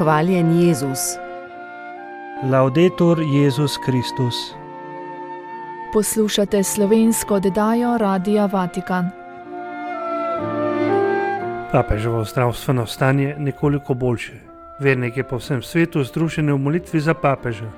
Hvaljen Jezus. Laudetur Jezus Kristus. Poslušate slovensko oddajo Radia Vatikan. Papeževo zdravstveno stanje nekoliko boljše. Verniki po vsem svetu združeni v molitvi za papeža.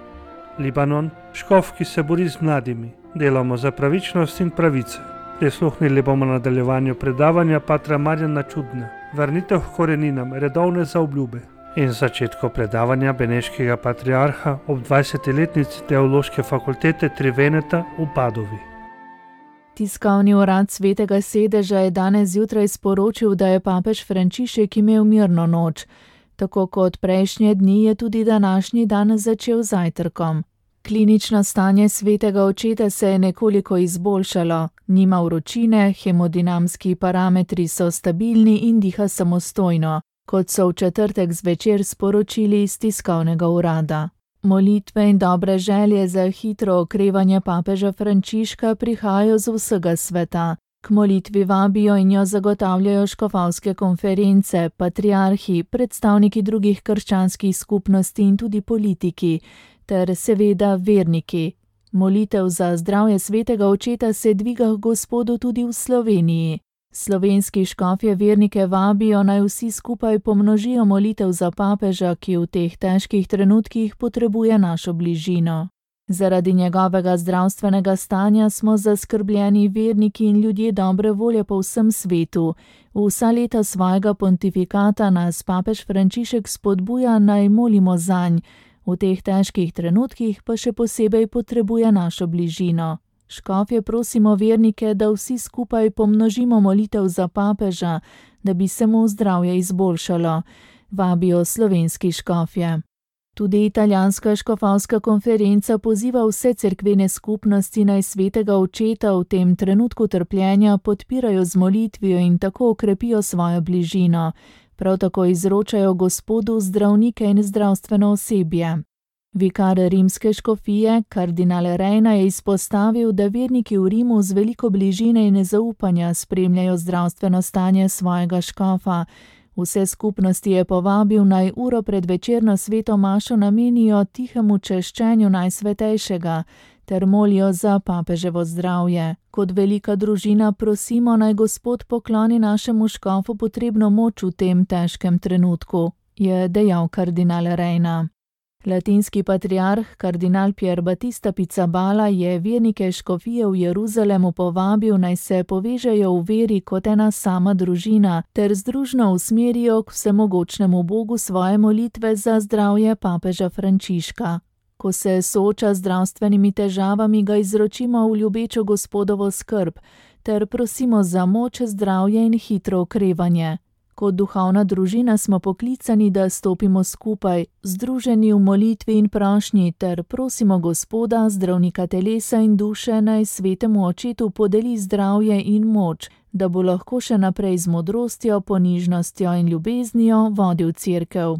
Libanon, škof, ki se bori z mladimi. Delamo za pravičnost in pravice. Prisluhnili bomo nadaljevanju predavanja patra Marjana Čudna. Vrnitev k koreninam, redovne zaobljube. In začetku predavanja beneškega patriarha ob 20-letnici Teološke fakultete Triveneta v Padovi. Tiskovni urad Svetega sedeža je danes zjutraj sporočil, da je papež Frančišek imel mirno noč. Tako kot prejšnje dni je tudi današnji dan začel z zajtrkom. Klinično stanje svetega očeta se je nekoliko izboljšalo. Nima vročine, hemodinamski parametri so stabilni in diha samostojno, kot so v četrtek zvečer sporočili iz tiskovnega urada. Molitve in dobre želje za hitro okrevanje papeža Frančiška prihajajo z vsega sveta. K molitvi vabijo in jo zagotavljajo škofovske konference, patriarhi, predstavniki drugih krščanskih skupnosti in tudi politiki, ter seveda verniki. Molitev za zdravje svetega očeta se dviga k Gospodu tudi v Sloveniji. Slovenski škofje vernike vabijo, naj vsi skupaj pomnožijo molitev za papeža, ki v teh težkih trenutkih potrebuje našo bližino. Zaradi njegovega zdravstvenega stanja smo zaskrbljeni verniki in ljudje dobre volje po vsem svetu. Vsa leta svojega pontifikata nas papež Frančišek spodbuja, naj molimo zanj. V teh težkih trenutkih pa še posebej potrebuje našo bližino. Škofje prosimo vernike, da vsi skupaj pomnožimo molitev za papeža, da bi se mu zdravje izboljšalo, vabijo slovenski škofje. Tudi italijanska škofovska konferenca poziva vse cerkvene skupnosti, naj svetega očeta v tem trenutku trpljenja podpirajo z molitvijo in tako okrepijo svojo bližino. Prav tako izročajo Gospodu zdravnike in zdravstveno osebje. Vikar rimske škofije, kardinal Rejna, je izpostavil, da verniki v Rimu z veliko bližine in nezaupanja spremljajo zdravstveno stanje svojega škofa. Vse skupnosti je povabil, naj uro pred večerno sveto mašo namenijo tihemu češčenju Najsvetejšega ter molijo za papeževo zdravje. Kot velika družina prosimo, naj Gospod pokloni našemu škofu potrebno moč v tem težkem trenutku, je dejal kardinal Rejna. Latinski patriarh kardinal Pier Battista Pizzaballa je vernike škofije v Jeruzalemu povabil, naj se povežejo v veri kot ena sama družina ter združno usmerijo k vsemogočnemu Bogu svoje molitve za zdravje papeža Frančiška. Ko se sooča z zdravstvenimi težavami, ga izročimo v ljubečo Gospodovo skrb ter prosimo za moč, zdravje in hitro okrevanje. Kot duhovna družina smo poklicani, da stopimo skupaj, združeni v molitvi in prošnji, ter prosimo Gospoda, zdravnika telesa in duše, naj svetemu očetu podeli zdravje in moč, da bo lahko še naprej z modrostjo, ponižnostjo in ljubeznijo vodil cerkev.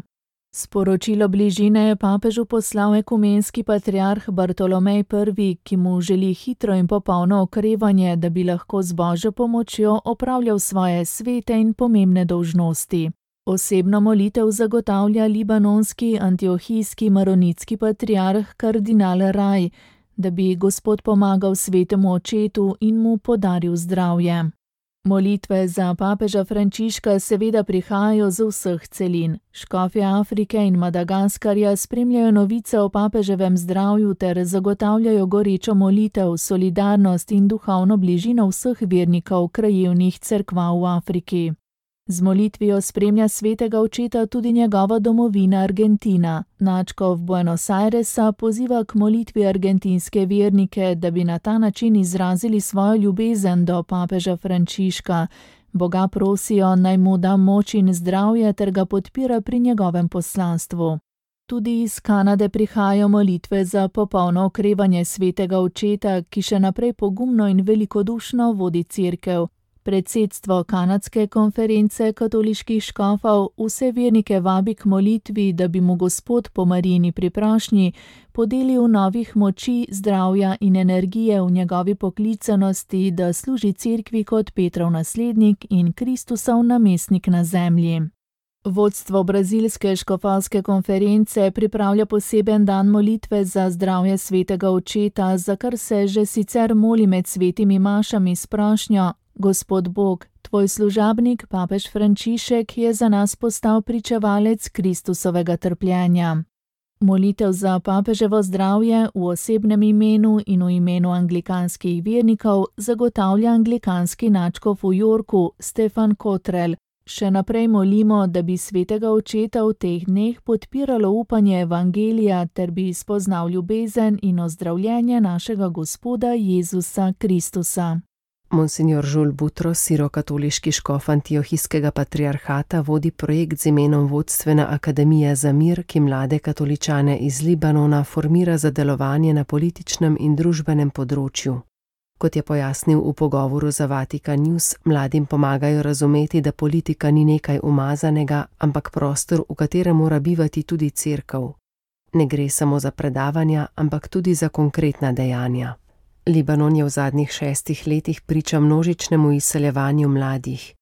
Sporočilo bližine je papežu poslal ekumenski patriarh Bartolomej I., ki mu želi hitro in popolno okrevanje, da bi lahko z Božjo pomočjo opravljal svoje svete in pomembne dolžnosti. Osebno molitev zagotavlja libanonski antiohijski maronitski patriarh kardinal Raj, da bi Gospod pomagal svetemu očetu in mu podaril zdravje. Molitve za papeža Frančiška seveda prihajajo z vseh celin. Škofje Afrike in Madagaskarja spremljajo novice o papeževem zdravju ter zagotavljajo gorečo molitev, solidarnost in duhovno bližino vseh vernikov krajevnih cerkva v Afriki. Z molitvijo spremlja svetega očeta tudi njegova domovina Argentina. Nadškof Buenos Airesa poziva k molitvi argentinske vernike, da bi na ta način izrazili svojo ljubezen do papeža Frančiška. Boga prosijo, naj mu da moč in zdravje ter ga podpira pri njegovem poslanstvu. Tudi iz Kanade prihajajo molitve za popolno okrevanje svetega očeta, ki še naprej pogumno in velikodušno vodi cerkev. Predsedstvo kanadske konference katoliških škofov vse vernike vabi k molitvi, da bi mu Gospod po Marijini priprošnji podelil novih moči, zdravja in energije v njegovi poklicanosti, da služi cerkvi kot Petrov naslednik in Kristusov namestnik na zemlji. Vodstvo brazilske škofovske konference pripravlja poseben dan molitve za zdravje svetega očeta, za kar se že sicer moli med svetimi mašami s prošnjo: Gospod Bog, tvoj služabnik, papež Frančišek, je za nas postal pričevalec Kristusovega trpljenja. Molitev za papeževo zdravje v osebnem imenu in v imenu anglikanskih vernikov zagotavlja anglikanski nadškof v Yorku Stefan Cottrell. Še naprej molimo, da bi svetega očeta v teh dneh podpiralo upanje evangelija ter bi spoznal ljubezen in ozdravljenje našega Gospoda Jezusa Kristusa. Monsignor Žul Butros, sirokatoliški škof Antiohijskega patriarhata, vodi projekt z imenom Vodstvena akademija za mir, ki mlade katoličane iz Libanona formira za delovanje na političnem in družbenem področju. Kot je pojasnil v pogovoru za Vatikan News, mladim pomagajo razumeti, da politika ni nekaj umazanega, ampak prostor, v katerem mora bivati tudi cerkev. Ne gre samo za predavanja, ampak tudi za konkretna dejanja. Libanon je v zadnjih 6 letih priča množičnemu izseljevanju mladih.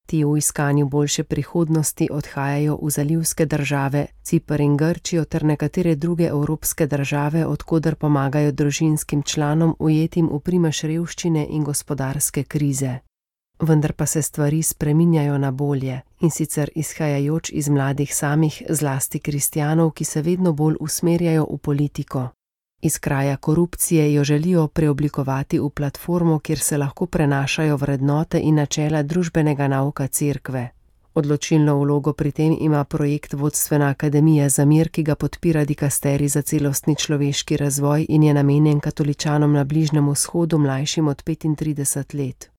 Ti v iskanju boljše prihodnosti odhajajo v zalivske države, Ciper in Grčijo ter nekatere druge evropske države, od koder pomagajo družinskim članom ujetim v primež revščine in gospodarske krize. Vendar pa se stvari spreminjajo na bolje, in sicer izhajajoč iz mladih samih, zlasti kristjanov, ki se vedno bolj usmerjajo v politiko. Iz kraja korupcije jo želijo preoblikovati v platformo, kjer se lahko prenašajo vrednote in načela družbenega nauka cerkve. Odločilno vlogo pri tem ima projekt Vodstvena akademija za mir, ki ga podpira dikasterij za celostni človeški razvoj in je namenjen katoličanom na Bližnjem vzhodu mlajšim od 35 let.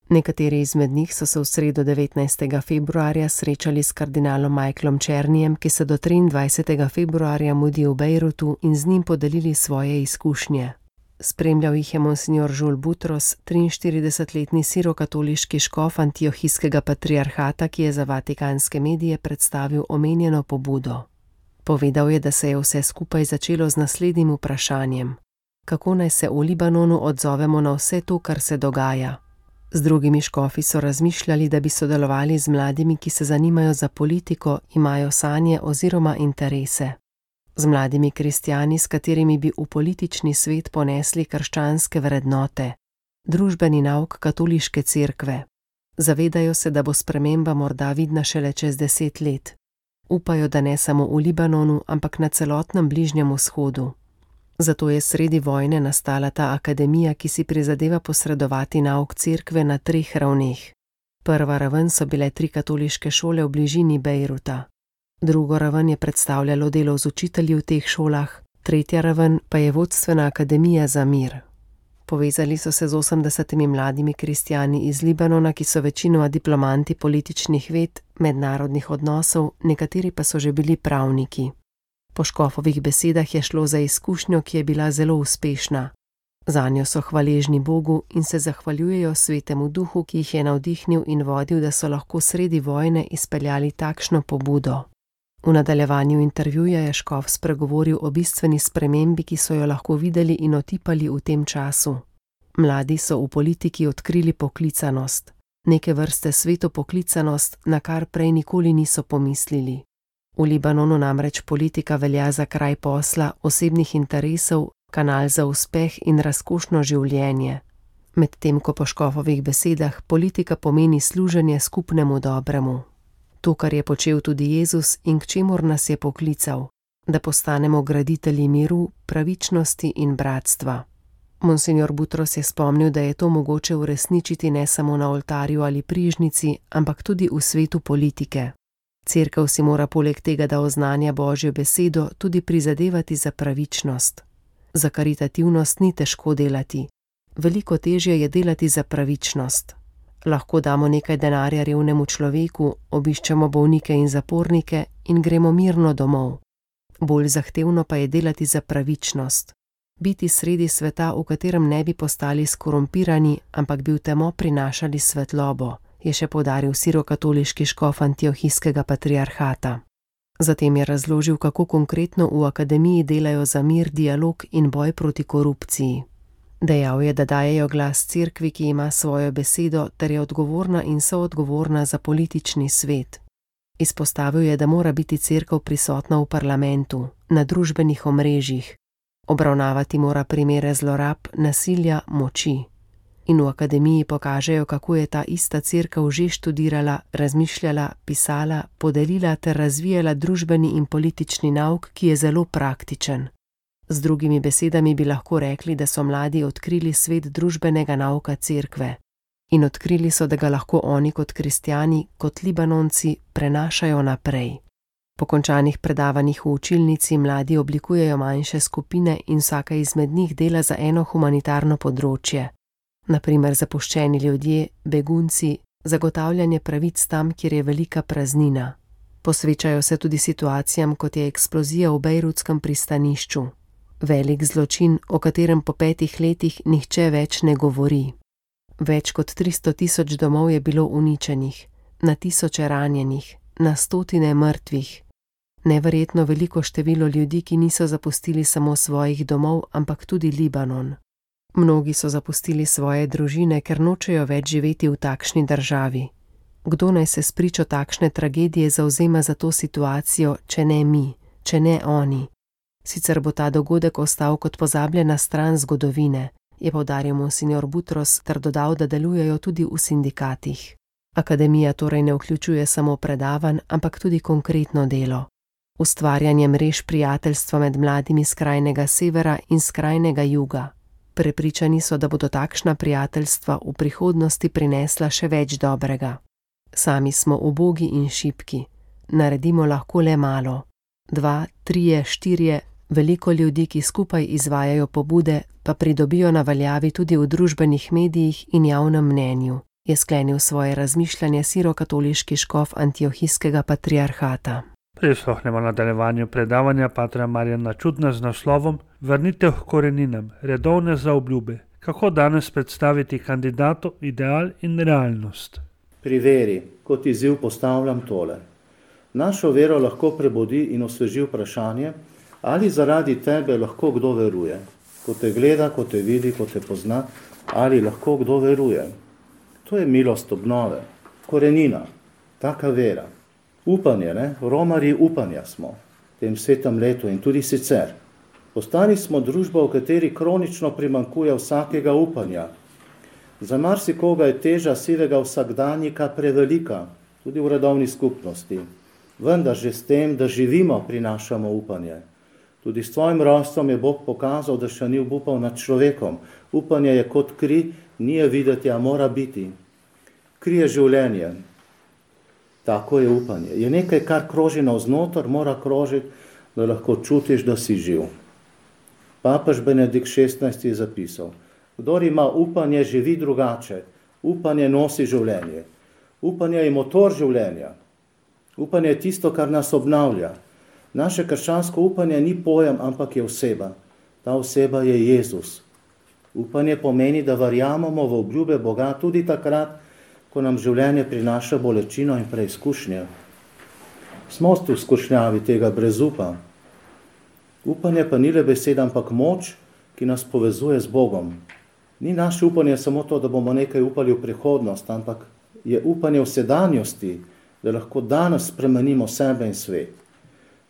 Nekateri izmed njih so se v sredo 19. februarja srečali s kardinalom Michaelom Černijem, ki se do 23. februarja mudi v Bejrutu, in z njim podelili svoje izkušnje. Spremljal jih je monsignor Žul Butros, 43-letni sirokatoliški škof Antiohijskega patriarhata, ki je za vatikanske medije predstavil omenjeno pobudo. Povedal je, da se je vse skupaj začelo z naslednjim vprašanjem: kako naj se v Libanonu odzovemo na vse to, kar se dogaja? Z drugimi škofi so razmišljali, da bi sodelovali z mladimi, ki se zanimajo za politiko, imajo sanje oziroma interese. Z mladimi kristjani, s katerimi bi v politični svet ponesli krščanske vrednote, družbeni nauk katoliške cerkve. Zavedajo se, da bo sprememba morda vidna šele čez 10 let. Upajo, da ne samo v Libanonu, ampak na celotnem Bližnjem vzhodu. Zato je sredi vojne nastala ta akademija, ki si prizadeva posredovati nauk cerkve na 3 ravneh. Prva raven so bile 3 katoliške šole v bližini Bejruta. Drugo raven je predstavljalo delo z učitelji v teh šolah, tretja raven pa je Vodstvena akademija za mir. Povezali so se z 80 mladimi kristjani iz Libanona, ki so večinoma diplomanti političnih ved, mednarodnih odnosov, nekateri pa so že bili pravniki. Po škofovih besedah je šlo za izkušnjo, ki je bila zelo uspešna. Zanjo so hvaležni Bogu in se zahvaljujejo Svetemu Duhu, ki jih je navdihnil in vodil, da so lahko sredi vojne izpeljali takšno pobudo. V nadaljevanju intervjuja je škof spregovoril o bistveni spremembi, ki so jo lahko videli in otipali v tem času. Mladi so v politiki odkrili poklicanost, neke vrste sveto poklicanost, na kar prej nikoli niso pomislili. V Libanonu namreč politika velja za kraj posla, osebnih interesov, kanal za uspeh in razkošno življenje. Medtem ko po škofovih besedah politika pomeni služenje skupnemu dobremu. To, kar je počel tudi Jezus in k čemur nas je poklical, da postanemo graditelji miru, pravičnosti in bratstva. Monsignor Butros je spomnil, da je to mogoče uresničiti ne samo na oltarju ali prižnici, ampak tudi v svetu politike. Cerkev si mora poleg tega, da oznanja Božjo besedo, tudi prizadevati za pravičnost. Za karitativnost ni težko delati. Veliko težje je delati za pravičnost. Lahko damo nekaj denarja revnemu človeku, obiščemo bolnike in zapornike in gremo mirno domov. Bolj zahtevno pa je delati za pravičnost. Biti sredi sveta, v katerem ne bi postali skorumpirani, ampak bi v temo prinašali svetlobo, je še poudaril sirokatoliški škof Antiohijskega patriarhata. Zatem je razložil, kako konkretno v akademiji delajo za mir, dialog in boj proti korupciji. Dejal je, da dajejo glas cerkvi, ki ima svojo besedo, ter je odgovorna in soodgovorna za politični svet. Izpostavil je, da mora biti cerkev prisotna v parlamentu, na družbenih omrežjih, obravnavati mora primere zlorab, nasilja, moči. In v akademiji pokažejo, kako je ta ista cerkev že študirala, razmišljala, pisala, podelila ter razvijala družbeni in politični nauk, ki je zelo praktičen. Z drugimi besedami bi lahko rekli, da so mladi odkrili svet družbenega nauka cerkve. In odkrili so, da ga lahko oni kot kristjani, kot Libanonci prenašajo naprej. Po končanih predavanjih v učilnici mladi oblikujejo manjše skupine in vsaka izmed njih dela za eno humanitarno področje. Na primer zapuščeni ljudje, begunci, zagotavljanje pravic tam, kjer je velika praznina. Posvečajo se tudi situacijam, kot je eksplozija v bejrutskem pristanišču. Velik zločin, o katerem po 5 letih nihče več ne govori. Več kot 300 000 domov je bilo uničenih, na tisoče ranjenih, na stotine mrtvih. Neverjetno veliko število ljudi, ki niso zapustili samo svojih domov, ampak tudi Libanon. Mnogi so zapustili svoje družine, ker nočejo več živeti v takšni državi. Kdo naj se spričo takšne tragedije zavzema za to situacijo, če ne mi, če ne oni? Sicer bo ta dogodek ostal kot pozabljena stran zgodovine, je poudaril monsignor Butros ter dodal, da delujejo tudi v sindikatih. Akademija torej ne vključuje samo predavanj, ampak tudi konkretno delo. Ustvarjanje mrež prijateljstva med mladimi skrajnega severa in skrajnega juga. Prepričani so, da bodo takšna prijateljstva v prihodnosti prinesla še več dobrega. Sami smo ubogi in šibki. Naredimo lahko le malo. 2, 3, 4, veliko ljudi, ki skupaj izvajajo pobude, pa pridobijo na veljavi tudi v družbenih medijih in javnem mnenju, je sklenil svoje razmišljanje sirokatoliški škof Antiohijskega patriarhata. Prisluhnemo nadaljevanju predavanja patra Marjana Čudna z naslovom Vrnitev k koreninam, redovne zaobljube. Kako danes predstaviti kandidatu ideal in realnost? Pri veri, kot izziv postavljam tole. Našo vero lahko prebudi in osveži vprašanje, ali zaradi tebe lahko kdo veruje. Ko te gleda, ko te vidi, ko te pozna, ali lahko kdo veruje. To je milost obnove, korenina, taka vera. Upanje, ne? Romarji upanja smo v tem svetem letu in tudi sicer. Postali smo družba, v kateri kronično primanjkuje vsakega upanja. Za marsikoga je teža sivega vsakdanjika prevelika, tudi v redovni skupnosti. Vendar že s tem, da živimo, prinašamo upanje. Tudi s tvojim rojstvom je Bog pokazal, da še ni obupal nad človekom. Upanje je kot kri, ni je videti, a mora biti. Kri je življenje. Tako je upanje. Je nekaj, kar kroži navznoter, mora krožiti, da lahko čutiš, da si živ. Papež Benedikt XVI je zapisal: kdor ima upanje, živi drugače. Upanje nosi življenje. Upanje je motor življenja. Upanje je tisto, kar nas obnavlja. Naše krščansko upanje ni pojem, ampak je oseba. Ta oseba je Jezus. Upanje pomeni, da verjamemo v obljube Boga tudi takrat, ko nam življenje prinaša bolečino in preizkušnje. Smo v skušnjavi tega brezupa. Upanje pa ni le beseda, ampak moč, ki nas povezuje z Bogom. Ni naše upanje samo to, da bomo nekaj upali v prihodnost, ampak je upanje v sedanjosti, da lahko danes spremenimo sebe in svet.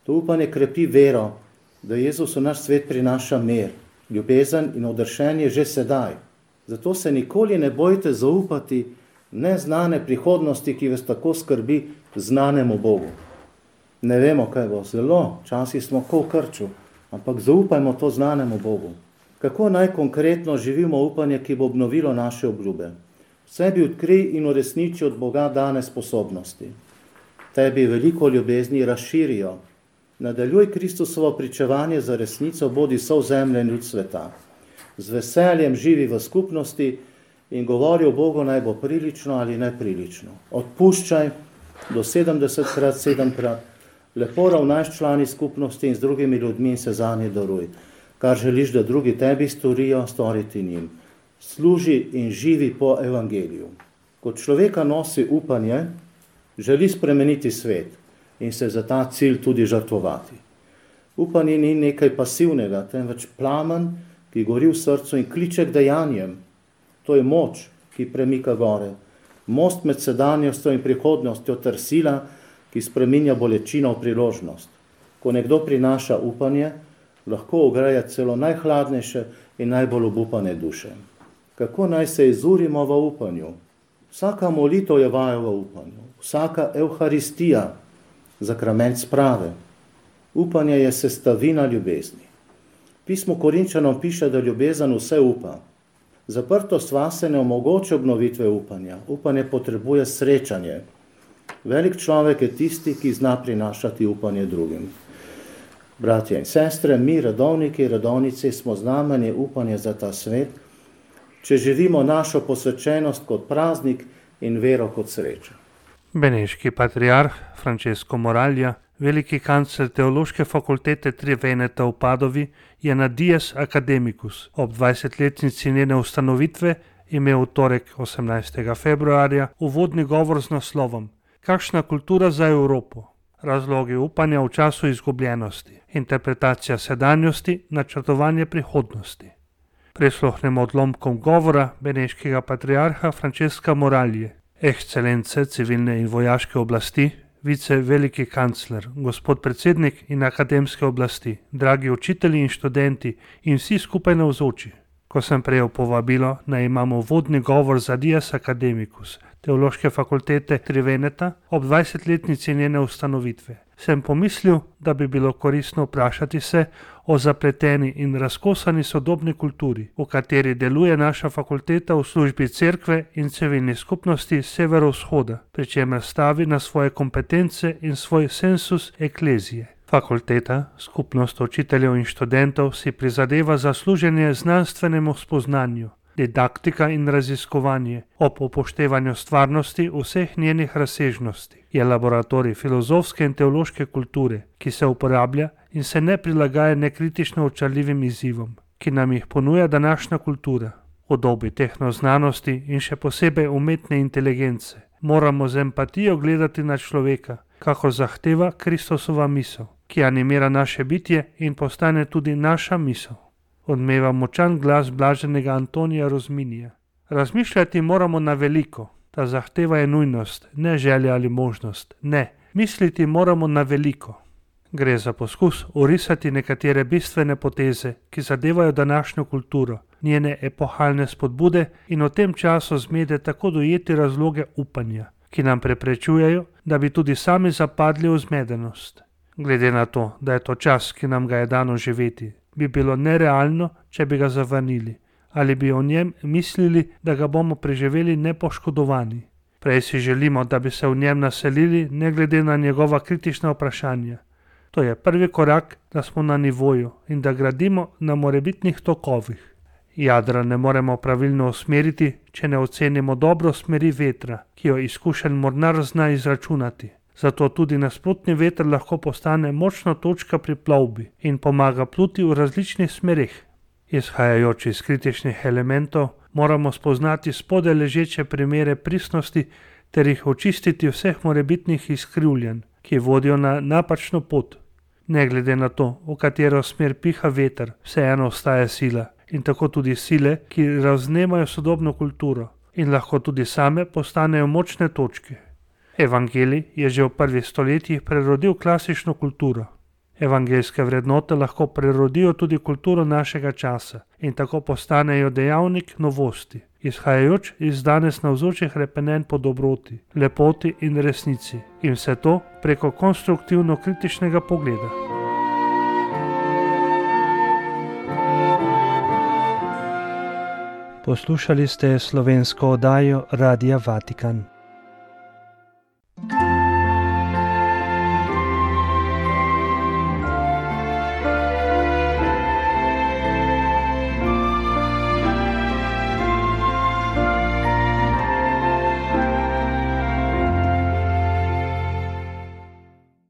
To upanje krepi vero, da Jezus v naš svet prinaša mir, ljubezen in odrešenje že sedaj. Zato se nikoli ne bojte zaupati neznane prihodnosti, ki vas tako skrbi, znanemu Bogu. Ne vemo, kaj bo, zelo, včasih smo kot v krču, ampak zaupajmo to znanemu Bogu. Kako naj konkretno živimo upanje, ki bo obnovilo naše obljube? V sebi odkrij in uresniči od Boga dane sposobnosti. Tebi veliko ljubezni razširijo. Nadaljuj Kristusovo pričevanje za resnico, bodi sovzemljen ljud sveta. Z veseljem živi v skupnosti in govori o Bogu, naj bo prilično ali neprilično. Odpuščaj do 70krat, 7krat, lepo ravnaj s člani skupnosti in z drugimi ljudmi in se zanje daruj. Kar želiš, da drugi tebi storijo, storiti njim. Služi in živi po evangeliju. Kot človeka nosi upanje, želi spremeniti svet in se za ta cilj tudi žrtvovati. Upanje ni nekaj pasivnega, temveč plamen, ki gori v srcu in kliče k dejanjem. To je moč, ki premika gore. Most med sedanjostjo in prihodnostjo ter sila, ki spreminja bolečino v priložnost. Ko nekdo prinaša upanje, lahko ogreje celo najhladnejše in najbolj obupane duše. Kako naj se izurimo v upanju? Vsaka molitev je vaja v upanju, vsaka evharistija, zakrament sprave. Upanje je sestavina ljubezni. Pismo Korinčanom piše, da ljubezen vse upa. Zaprtost vase ne omogoča obnovitve upanja. Upanje potrebuje srečanje. Velik človek je tisti, ki zna prinašati upanje drugim. Bratje in sestre, mi, redovniki, redovnici, smo znamenje upanja za ta svet, če živimo našo posvečenost kot praznik in vero kot srečo. Beneški patriarh Francesco Moralja, veliki kancler Teološke fakultete Tri Veneta v Padovi, je na Dies Academicus ob 20-letnici njene ustanovitve imel v torek 18. februarja uvodni govor z naslovom Kakšna kultura za Evropo? Razlogi upanja v času izgubljenosti, interpretacija sedanjosti, načrtovanje prihodnosti. Prisluhnemo odlomkom govora beneškega patriarha Francesca Moralje, ekscelence civilne in vojaške oblasti, vice veliki kancler, gospod predsednik in akademske oblasti, dragi učitelji in študenti in vsi skupaj navzoči. Ko sem prejel povabilo, naj imamo vodni govor za Dies Academicus Teološke fakultete Tri Veneta ob 20-letnici njene ustanovitve, sem pomislil, da bi bilo koristno vprašati se o zapleteni in razkosani sodobni kulturi, v kateri deluje naša fakulteta v službi cerkve in civilni skupnosti severovzhoda, pri čemer stavi na svoje kompetence in svoj sensus eklezije. Fakulteta, skupnost učiteljev in študentov si prizadeva za služenje znanstvenemu spoznanju, didaktika in raziskovanje ob upoštevanju stvarnosti vseh njenih razsežnosti. Je laboratorij filozofske in teološke kulture, ki se uporablja in se ne prilagaja nekritično očarljivim izzivom, ki nam jih ponuja današnja kultura. V dobi tehnoznanosti in še posebej umetne inteligence moramo z empatijo gledati na človeka, kakor zahteva Kristusova misel, ki animira naše bitje in postane tudi naša misel. Odmeva močan glas blaženega Antonija Rozminija. Razmišljati moramo na veliko. Ta zahteva je nujnost, ne želja ali možnost. Ne, misliti moramo na veliko. Gre za poskus orisati nekatere bistvene poteze, ki zadevajo današnjo kulturo, njene epohalne spodbude in v tem času zmede tako dojeti razloge upanja, ki nam preprečujejo, da bi tudi sami zapadli v zmedenost. Glede na to, da je to čas, ki nam ga je dano živeti, bi bilo nerealno, če bi ga zavrnili, ali bi o njem mislili, da ga bomo preživeli nepoškodovani. Prej si želimo, da bi se v njem naselili, ne glede na njegova kritična vprašanja. To je prvi korak, da smo na nivoju in da gradimo na morebitnih tokovih. Jadra ne moremo pravilno usmeriti, če ne ocenimo dobro smeri vetra, ki jo izkušen mornar zna izračunati. Zato tudi nasprotni veter lahko postane močna točka pri plovbi in pomaga pluti v različnih smerih. Izhajajoč iz kritičnih elementov, moramo spoznati spodaj ležeče primere pristnosti ter jih očistiti vseh morebitnih izkrivljanj, ki vodijo na napačno pot. Ne glede na to, v katero smer piha veter, vseeno ostaja sila in tako tudi sile, ki raznemajo sodobno kulturo in lahko tudi same postanejo močne točke. Evangelij je že v prvih stoletjih prerodil klasično kulturo. Evangeljske vrednote lahko prerodijo tudi kulturo našega časa in tako postanejo dejavnik novosti, izhajajoč iz danes navzočih repenenj po dobroti, lepoti in resnici, in vse to preko konstruktivno-kritičnega pogleda. Poslušali ste slovensko oddajo Radia Vatikan.